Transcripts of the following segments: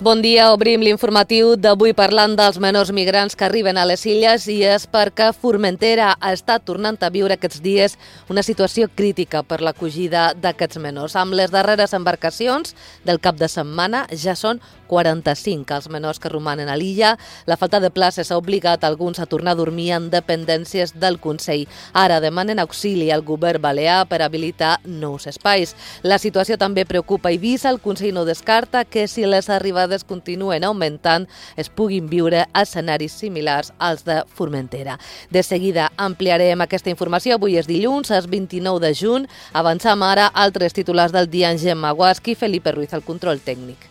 Bon dia, obrim l'informatiu d'avui parlant dels menors migrants que arriben a les illes i és perquè Formentera ha estat tornant a viure aquests dies una situació crítica per l'acollida d'aquests menors. Amb les darreres embarcacions del cap de setmana ja són 45 els menors que romanen a l'illa. La falta de places ha obligat alguns a tornar a dormir en dependències del Consell. Ara demanen auxili al govern balear per habilitar nous espais. La situació també preocupa Eivissa. El Consell no descarta que si les arribades continuen augmentant es puguin viure escenaris similars als de Formentera. De seguida ampliarem aquesta informació. Avui és dilluns, és 29 de juny. Avançam ara altres titulars del dia en Gemma Guasqui, Felipe Ruiz al control tècnic.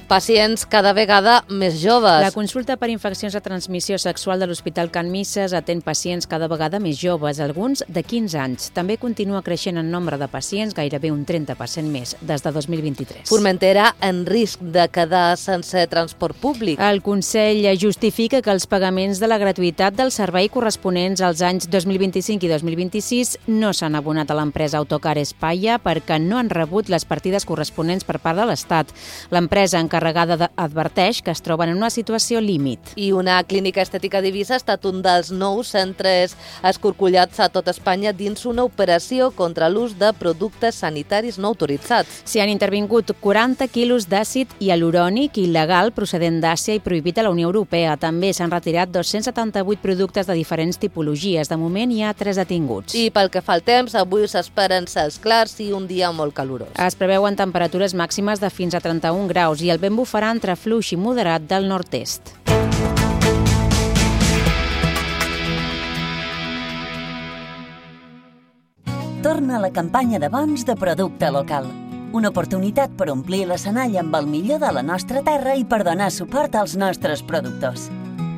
Pacients cada vegada més joves. La consulta per infeccions de transmissió sexual de l'Hospital Can Misses atén pacients cada vegada més joves, alguns de 15 anys. També continua creixent en nombre de pacients, gairebé un 30% més, des de 2023. Formentera en risc de quedar sense transport públic. El Consell justifica que els pagaments de la gratuïtat del servei corresponents als anys 2025 i 2026 no s'han abonat a l'empresa Autocar Espaia perquè no han rebut les partides corresponents per part de l'Estat. L'empresa encarregada adverteix que es troben en una situació límit. I una clínica estètica d'Eivissa ha estat un dels nous centres escorcollats a tot Espanya dins una operació contra l'ús de productes sanitaris no autoritzats. S'hi han intervingut 40 quilos d'àcid hialurònic il·legal procedent d'Àsia i prohibit a la Unió Europea. També s'han retirat 278 productes de diferents tipologies. De moment hi ha 3 detinguts. I pel que fa al temps, avui s'esperen cels clars i un dia molt calorós. Es preveuen temperatures màximes de fins a 31 graus i el vent bufarà entre fluix i moderat del nord-est. Torna la campanya de bons de producte local. Una oportunitat per omplir l'escenari amb el millor de la nostra terra i per donar suport als nostres productors.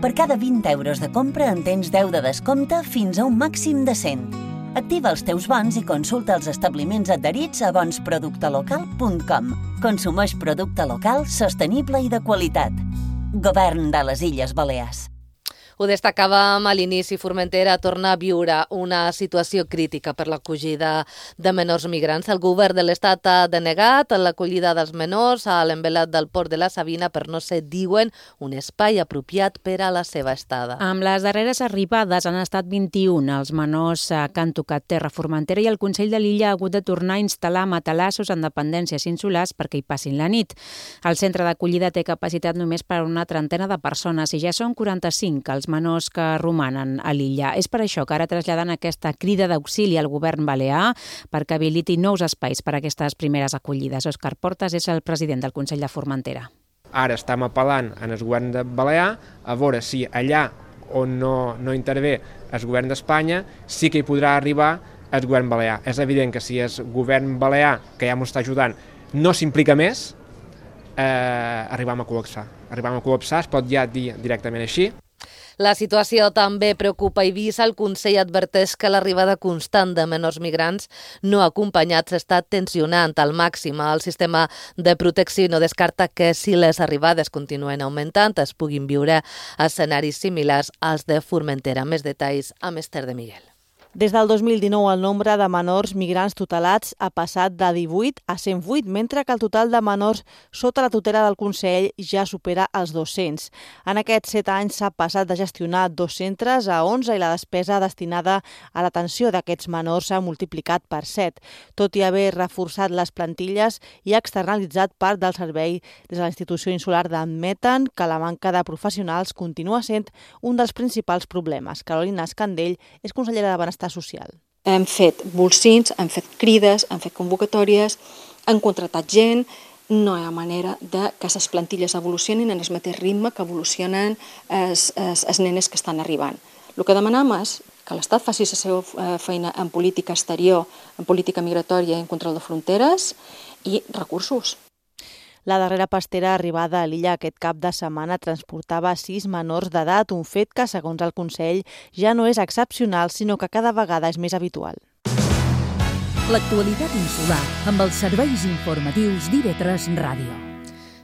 Per cada 20 euros de compra en tens 10 de descompte fins a un màxim de 100. Activa els teus bons i consulta els establiments adherits a bonsproductelocal.com. Consumeix producte local, sostenible i de qualitat. Govern de les Illes Balears. Ho destacàvem a l'inici, Formentera torna a viure una situació crítica per l'acollida de menors migrants. El govern de l'Estat ha denegat l'acollida dels menors a l'envelat del port de la Sabina per no ser, diuen, un espai apropiat per a la seva estada. Amb les darreres arribades han estat 21 els menors que han tocat terra a Formentera i el Consell de l'illa ha hagut de tornar a instal·lar matalassos en dependències insulars perquè hi passin la nit. El centre d'acollida té capacitat només per a una trentena de persones i ja són 45 els menors que romanen a l'illa. És per això que ara traslladen aquesta crida d'auxili al govern balear perquè habiliti nous espais per a aquestes primeres acollides. Òscar Portas és el president del Consell de Formentera. Ara estem apel·lant en el govern de Balear a veure si allà on no intervé el govern d'Espanya sí que hi podrà arribar el govern balear. És evident que si el govern balear, que ja ens està ajudant, no s'implica més, arribem a col·lapsar. Es pot ja dir directament així. La situació també preocupa Eivissa. El Consell adverteix que l'arribada constant de menors migrants no acompanyats està tensionant al màxim el sistema de protecció i no descarta que si les arribades continuen augmentant es puguin viure escenaris similars als de Formentera. Més detalls amb Esther de Miguel. Des del 2019, el nombre de menors migrants tutelats ha passat de 18 a 108, mentre que el total de menors sota la tutela del Consell ja supera els 200. En aquests 7 anys s'ha passat de gestionar 2 centres a 11 i la despesa destinada a l'atenció d'aquests menors s'ha multiplicat per 7. Tot i haver reforçat les plantilles i externalitzat part del servei des de la institució insular admeten que la manca de professionals continua sent un dels principals problemes. Carolina Escandell és consellera de Benestar Social. Hem fet bolsins, hem fet crides, hem fet convocatòries, hem contractat gent, no hi ha manera que les plantilles evolucionin en el mateix ritme que evolucionen els nenes que estan arribant. El que demanem és que l'Estat faci la seva feina en política exterior, en política migratòria i en control de fronteres i recursos. La darrera pastera arribada a l'illa aquest cap de setmana transportava 6 menors d'edat, un fet que, segons el Consell, ja no és excepcional, sinó que cada vegada és més habitual. L'actualitat insular amb els serveis informatius d'IV3 Ràdio.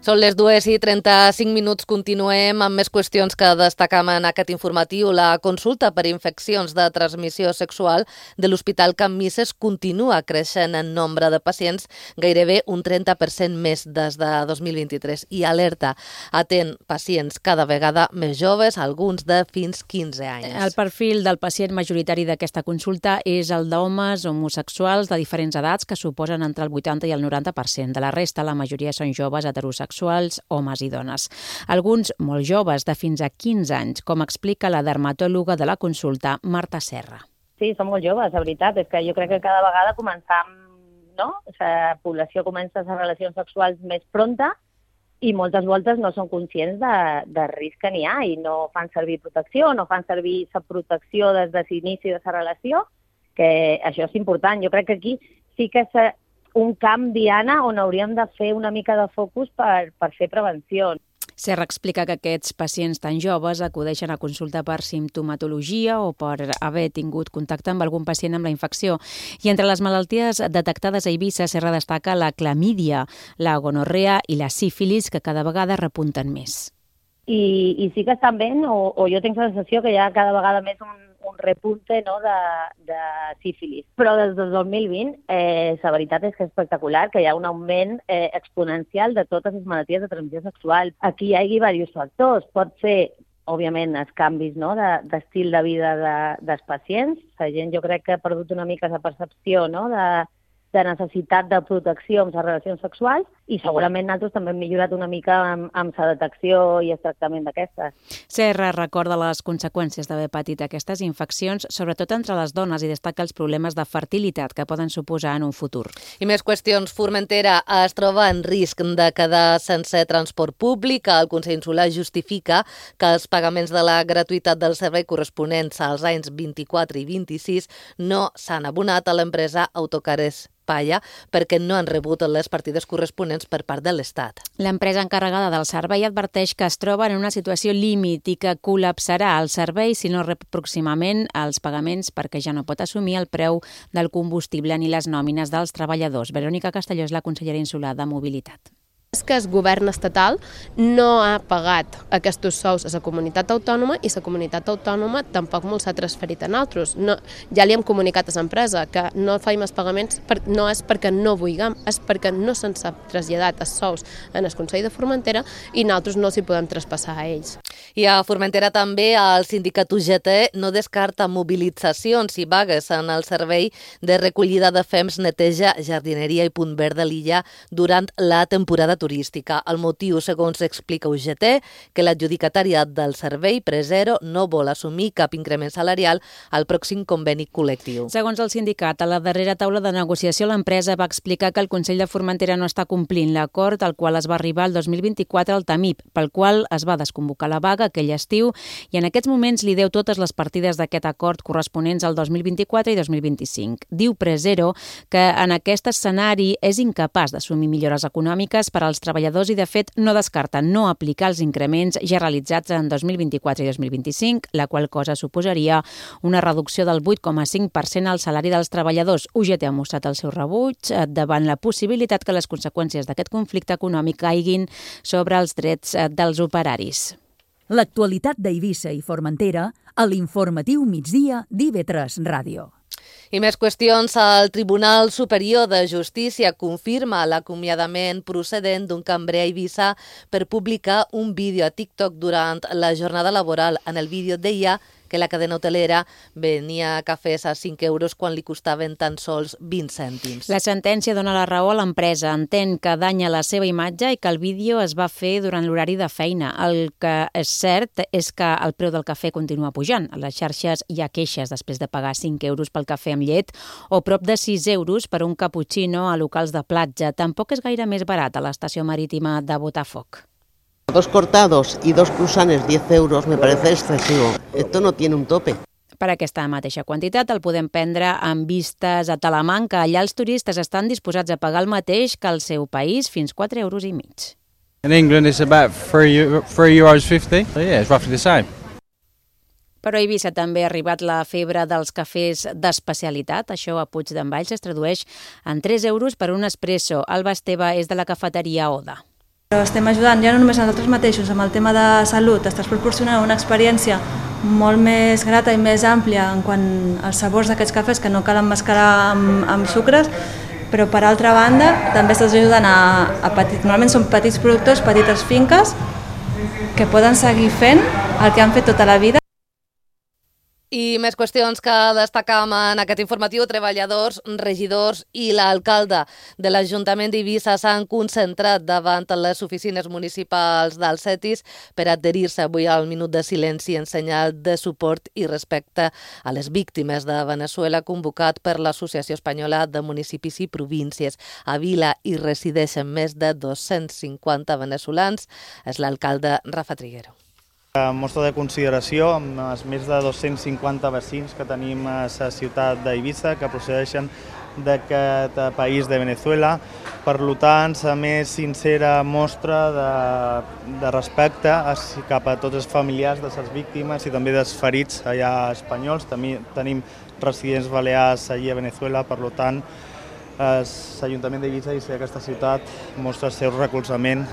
Són les 2:35, continuem amb més qüestions que destacam en aquest informatiu. La consulta per infeccions de transmissió sexual de l'Hospital Can Misses continua creixent en nombre de pacients, gairebé un 30% més des de 2023, i alerta, atén pacients cada vegada més joves, alguns de fins 15 anys. El perfil del pacient majoritari d'aquesta consulta és el d'homes homosexuals de diferents edats, que suposen entre el 80 i el 90%. De la resta, la majoria són joves heterosexuals, homes i dones. Alguns molt joves, de fins a 15 anys, com explica la dermatòloga de la consulta, Marta Serra. Sí, són molt joves, la veritat. És que jo crec que cada vegada començam, no? La població comença a fer relacions sexuals més pronta i moltes voltes no són conscients de risc que n'hi ha i no fan servir protecció, no fan servir la protecció des de l'inici de la relació, que això és important. Jo crec que aquí sí que és un camp, Diana, on hauríem de fer una mica de focus per fer prevenció. Serra explica que aquests pacients tan joves acudeixen a consulta per simptomatologia o per haver tingut contacte amb algun pacient amb la infecció. I entre les malalties detectades a Eivissa, Serra destaca la clamídia, la gonorrea i la sífilis, que cada vegada repunten més. I sí que estan ben, o jo tinc la sensació que hi ha cada vegada més un repunte, no, de sífilis. Però des del 2020 la veritat és que és espectacular, que hi ha un augment exponencial de totes les malalties de transmissió sexual. Aquí hi ha diversos factors. Pot ser, òbviament, els canvis, no, d'estil de vida dels pacients. La gent jo crec que ha perdut una mica la percepció, no, de necessitat de protecció amb les relacions sexuals i segurament nosaltres també hem millorat una mica amb la detecció i el tractament d'aquestes. Serra recorda les conseqüències d'haver patit aquestes infeccions, sobretot entre les dones, i destaca els problemes de fertilitat que poden suposar en un futur. I més qüestions. Formentera es troba en risc de quedar sense transport públic. El Consell Insular justifica que els pagaments de la gratuïtat del servei corresponents als anys 24 i 26 no s'han abonat a l'empresa Autocares Palla perquè no han rebut les partides corresponents per part de l'Estat. L'empresa encarregada del servei adverteix que es troba en una situació límit i que col·lapsarà el servei si no rep pròximament els pagaments perquè ja no pot assumir el preu del combustible ni les nòmines dels treballadors. Verònica Castelló és la consellera insular de Mobilitat. És que el govern estatal no ha pagat aquests sous a la comunitat autònoma i la comunitat autònoma tampoc me'ls ha transferit a nosaltres. No, ja li hem comunicat a l'empresa que no faim els pagaments, no és perquè no vulguem, és perquè no se'ns ha traslladat els sous en el Consell de Formentera i nosaltres no s'hi podem traspassar a ells. I a Formentera també el sindicat UGT no descarta mobilitzacions i vagues en el servei de recollida de fems, neteja, jardineria i punt verd de l'illa durant la temporada turística. El motiu, segons explica UGT, que l'adjudicatària del servei, Presero, no vol assumir cap increment salarial al pròxim conveni col·lectiu. Segons el sindicat, a la darrera taula de negociació l'empresa va explicar que el Consell de Formentera no està complint l'acord al qual es va arribar el 2024 al TAMIP, pel qual es va desconvocar la vaga aquell estiu i en aquests moments li deu totes les partides d'aquest acord corresponents al 2024 i 2025. Diu Presero que en aquest escenari és incapaç d'assumir millores econòmiques per als treballadors i, de fet, no descarten no aplicar els increments ja realitzats en 2024 i 2025, la qual cosa suposaria una reducció del 8,5% al salari dels treballadors. UGT ha mostrat el seu rebuig davant la possibilitat que les conseqüències d'aquest conflicte econòmic caiguin sobre els drets dels operaris. L'actualitat d'Eivissa i Formentera a l'informatiu migdia d'IV3 Ràdio. I més qüestions. El Tribunal Superior de Justícia confirma l'acomiadament procedent d'un cambrer a Eivissa per publicar un vídeo a TikTok durant la jornada laboral. En el vídeo deia que la cadena hotelera venia cafès a 5 euros quan li costaven tan sols 20 cèntims. La sentència dona la raó a l'empresa. Entén que danya la seva imatge i que el vídeo es va fer durant l'horari de feina. El que és cert és que el preu del cafè continua pujant. A les xarxes hi ha queixes després de pagar 5 euros pel cafè amb llet o prop de 6 euros per un cappuccino a locals de platja. Tampoc és gaire més barat a l'estació marítima de Botafoc. 2 cortados y 2 cruzanes, 10 euros, me parece excesivo. Esto no tiene un tope. Per aquesta mateixa quantitat el podem prendre amb vistes a Talamanca. Allà els turistes estan disposats a pagar el mateix que al seu país, fins 4,5 euros. In England it's about €3.50. So yeah, it's roughly the same. Però a Eivissa també ha arribat la febre dels cafès d'especialitat. Això a Puig d'en Valls es tradueix en 3 euros per un espresso. Alba Esteve és de la cafeteria Oda. Estem ajudant ja no només a nosaltres mateixos amb el tema de salut, estàs proporcionant una experiència molt més grata i més àmplia en quant als sabors d'aquests cafès que no cal emmascarar amb sucres, però per altra banda també estàs ajudant a petits, normalment són petits productors, petites finques que poden seguir fent el que han fet tota la vida. I més qüestions que destacam en aquest informatiu. Treballadors, regidors i l'alcalde de l'Ajuntament d'Eivissa s'han concentrat davant les oficines municipals del CETIS per adherir-se avui al minut de silenci en senyal de suport i respecte a les víctimes de Venezuela convocat per l'Associació Espanyola de Municipis i Províncies. A Vila hi resideixen més de 250 veneçolans. És l'alcalde Rafa Triguero. Mostra de consideració amb els més de 250 veïns que tenim a la ciutat d'Eivissa que procedeixen d'aquest país de Venezuela. Per tant, la més sincera mostra de respecte cap a tots els familiars de les víctimes i també dels ferits allà espanyols. També tenim residents balears allà a Venezuela, per tant, l'Ajuntament d'Eivissa i aquesta ciutat mostra el seu recolzament.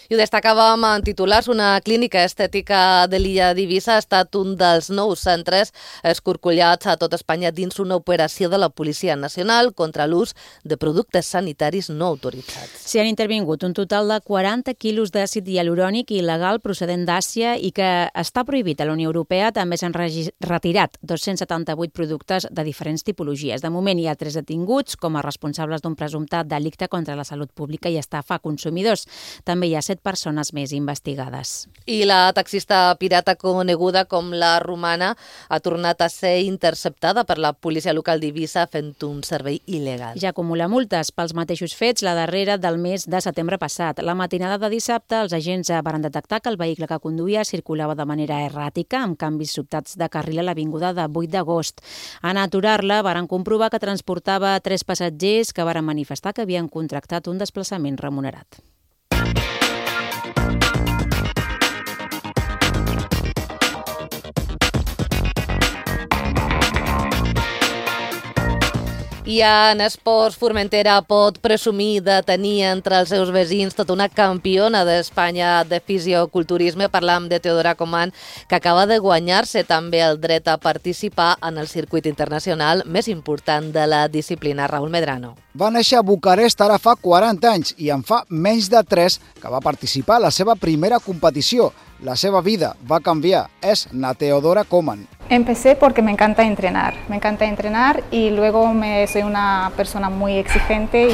I ho destacàvem en titulars, una clínica estètica de l'illa d'Eivissa ha estat un dels nous centres escorcollats a tot Espanya dins una operació de la Policia Nacional contra l'ús de productes sanitaris no autoritzats. S'hi han intervingut un total de 40 quilos d'àcid hialurònic il·legal procedent d'Àsia i que està prohibit a la Unió Europea. També s'han retirat 278 productes de diferents tipologies. De moment hi ha 3 detinguts com a responsables d'un presumptat delicte contra la salut pública i estafa a consumidors. També hi ha 7 persones més investigades. I la taxista pirata coneguda com la Romana ha tornat a ser interceptada per la policia local d'Eivissa fent un servei il·legal. Ja acumula multes pels mateixos fets, la darrera del mes de setembre passat. La matinada de dissabte, els agents van detectar que el vehicle que conduïa circulava de manera erràtica, amb canvis sobtats de carril a l'avinguda de 8 d'agost. En aturar-la, varen comprovar que transportava 3 passatgers que varen manifestar que havien contractat un desplaçament remunerat. I en esports, Formentera pot presumir de tenir entre els seus veïns tota una campiona d'Espanya de fisioculturisme. Parlam de Teodora Coman, que acaba de guanyar-se també el dret a participar en el circuit internacional més important de la disciplina. Raúl Medrano. Va néixer a Bucarest ara fa 40 anys i en fa menys de 3 que va participar a la seva primera competició. La seva vida va canviar. És na Teodora Coman. Empecé porque me encanta entrenar y luego soy una persona muy exigente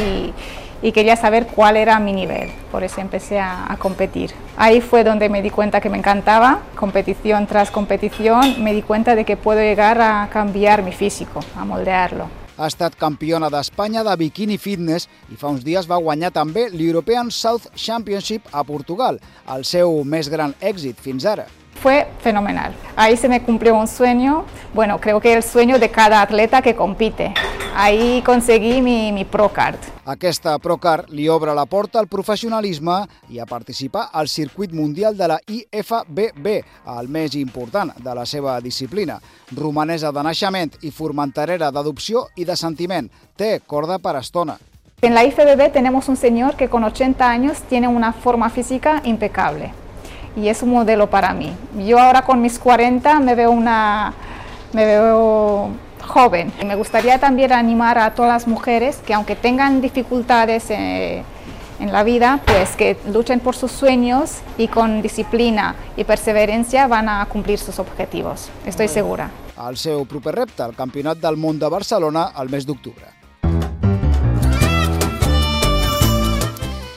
y quería saber cuál era mi nivel, por eso empecé a competir. Ahí fue donde me di cuenta que me encantaba, competición tras competición, me di cuenta de que puedo llegar a cambiar mi físico, a moldearlo. Ha estat campiona d'Espanya de bikini fitness i fa uns dies va guanyar també l'European South Championship a Portugal, el seu més gran èxit fins ara. Fue fenomenal. Ahí se me cumplió un sueño, bueno, creo que el sueño de cada atleta que compite. Ahí conseguí mi ProCard. Aquesta ProCard li obre la porta al professionalisme i a participar al circuit mundial de la IFBB, el més important de la seva disciplina. Romanesa de naixement i formenterera d'adopció i de sentiment. Té corda per estona. En la IFBB tenemos un señor que con 80 años tiene una forma física impecable. Y es un modelo para mí. Yo ahora con mis 40 me veo joven. Me gustaría también animar a todas las mujeres que aunque tengan dificultades en la vida, pues que luchen por sus sueños y con disciplina y perseverancia van a cumplir sus objetivos. Estoy segura. El seu proper repte, el Campionat del Món de Barcelona, el mes d'octubre.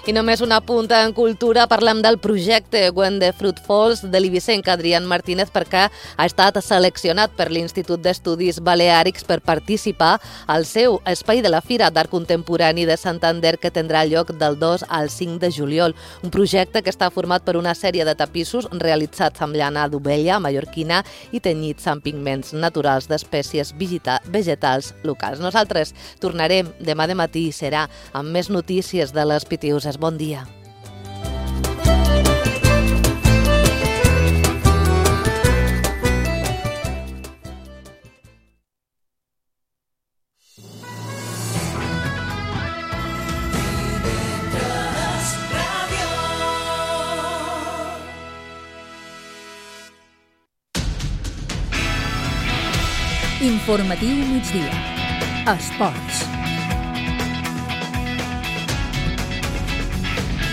I només una punta en cultura, parlem del projecte When the Fruit Falls de l'eivissenc Adrián Martínez perquè ha estat seleccionat per l'Institut d'Estudis Baleàrics per participar al seu Espai de la Fira d'Art Contemporani de Santander que tindrà lloc del 2 al 5 de juliol. Un projecte que està format per una sèrie de tapissos realitzats amb llana d'ovella mallorquina i tenyits amb pigments naturals d'espècies vegetals locals. Nosaltres tornarem demà de matí i serà amb més notícies de les Pitiuses. Bon dia. Divendres Ràdio. Informatiu migdia. Esports.